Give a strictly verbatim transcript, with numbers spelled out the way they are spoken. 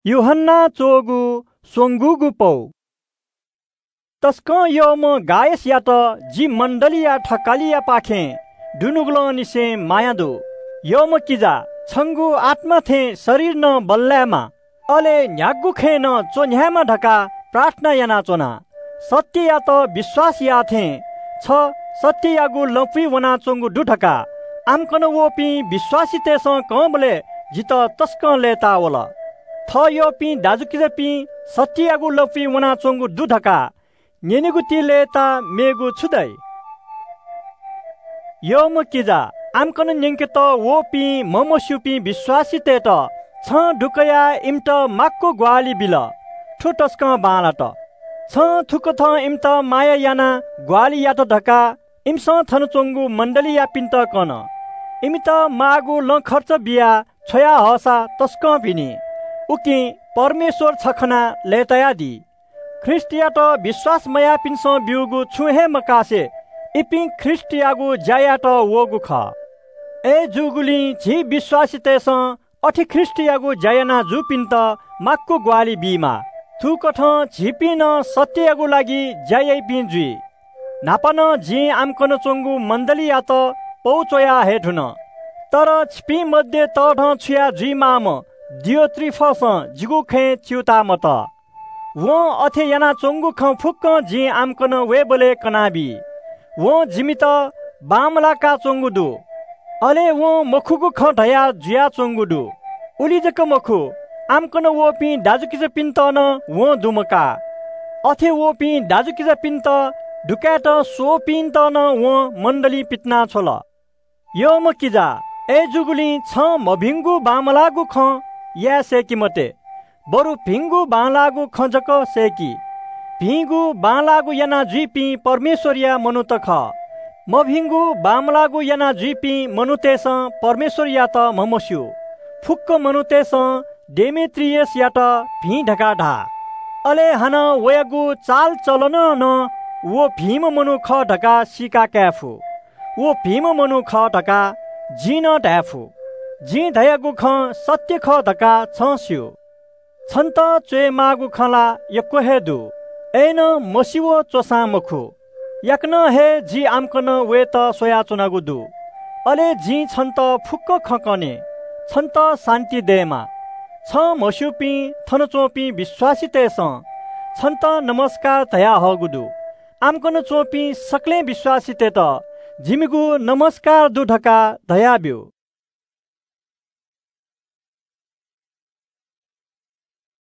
यूहन्‍नां च्‍वःगु स्वंगूगु पौ। तसकं यःम्‍ह गायसयात जि मण्‍डलीया थकालियापाखें दुनुगलंनिसें माया दु। यःम्‍ह किजा, छंगु आत्‍मा थें शरीर नं बल्‍लायेमा, अले न्‍ह्यागु खँय् नं च्‍वन्‍ह्यायेमा धकाः प्रार्थना यानाच्‍वना। सत्‍ययात विश्‍वास याः थें छ सत्‍ययागु लँपुइ वनाच्‍वंगु दु धकाः आम्‍कन वःपिं विश्‍वासीतय्‌सं कंबलय् जितः तसकं लय्‌ताः वल। थः यःपिं दाजुकिजापिं सत्‍ययागु लँपुइ वनाच्‍वंगु दु धकाः न्‍यनेगु ति लय्‌ताः मेगु छु दइ? यःम्‍ह किजा, आम्‍कन न्‍यंकेत वःपिं म्हमस्‍यूपिं विश्‍वासीतय्‌त छं दुकयाः इमित माक्‍व ग्‍वाहालि बिल। थ्‍व तसकं बांलात। छं थुकथं इमित माया यानाः ग्‍वाहालि यात धकाः इमिसं थन च्‍वंगु मण्‍डलीयापिन्‍त कन। इमित माःगु लँ खर्च बियाः छ्वया हःसा तसकं भिनी, उकिं परमेश्‍वर छ खनाः लय्‌तायादी। ख्रीष्‍टयात विश्‍वास मयाःपिन्‍सं ब्‍यूगु छुं हे मकासे इपिं ख्रीष्‍टयागु ज्‍या यायेत वःगु खः। अय्‌जूगुलिं झी विश्‍वासीतय्‌सं अथे ख्रीष्‍टयागु ज्‍या याना जूपिन्‍त माक्‍व ग्‍वाहालि बीमाः। थुकथं झीपिं नं सत्‍ययागु लागि ज्‍या याइपिं जुइ। न्‍हापा नं जिं आम्‍कन च्‍वंगु मण्‍डलीयात पौ च्‍वया हये धुन। तर छिपिं मध्ये तःधंछुया जुइमाःम्‍ह दियोत्रिफसं जिगु खँय् च्‍यूताः मतः। वं अथे यानाच्‍वंगु खँ फुक्‍कं जिं आम्‍कन वयेबलय् कनाबी। वं जिमित बांमलाकाच्‍वंगु दु, अले वं मखुगु खँ धया जुयाच्‍वंगु दु। उलि जक मखु, आम्‍कन वःपिं दाजुकिजापिन्‍त नं वं दुमकाः। अथे वःपिं दाजुकिजापिन्‍त दुकायेत स्वःपिन्‍त नं वं मण्‍डलीं पितिनाछ्वल। यःम्‍ह किजा, अय्‌जूगुलिं छं मभिंगु बांमलाःगु खँ याये सय्‌के मते, बरु भिंगु बांलाःगु खँ जक सय्‌कि। भिंगु बांलाःगु याना जुइपिं परमेश्‍वरया मनूत खः। मभिंगु बांमलाःगु याना जुइपिं मनूतय्‌सं परमेश्‍वरयात म्हमस्‍यू। फुक्‍क मनूतय्‌सं डेमेत्रियसयात भिं धकाः धाः। अले हानं वयागु चालचलनं नं व भिंम्‍ह मनू खः धकाः सीका काये फु। व भिंम्‍ह मनू खः धकाः जिं नं धाये फु। जिं धयागु खँ सत्‍य खः धकाः छं स्‍यू। छन्‍त च्‍वयेमाःगु खँ ला यक्‍व हे दु, अय्‌नं मसिव च्‍वसां मखु। याकनं हे जि आम्‍कन वयेत स्‍वयाच्‍वनागु दु। अले जिं छन्‍त फुक्‍क खँ कने। छन्‍त शान्‍ति दयेमा। छं म्हस्‍यूपिं थन च्‍वंपिं विश्‍वासीतय्‌सं छन्‍त नमस्‍कार धयाहःगु दु। आम्‍कन च्‍वंपिं सकलें विश्‍वासीतय्‌त जिमिगु नमस्‍कार दु धकाः धयाब्‍यु।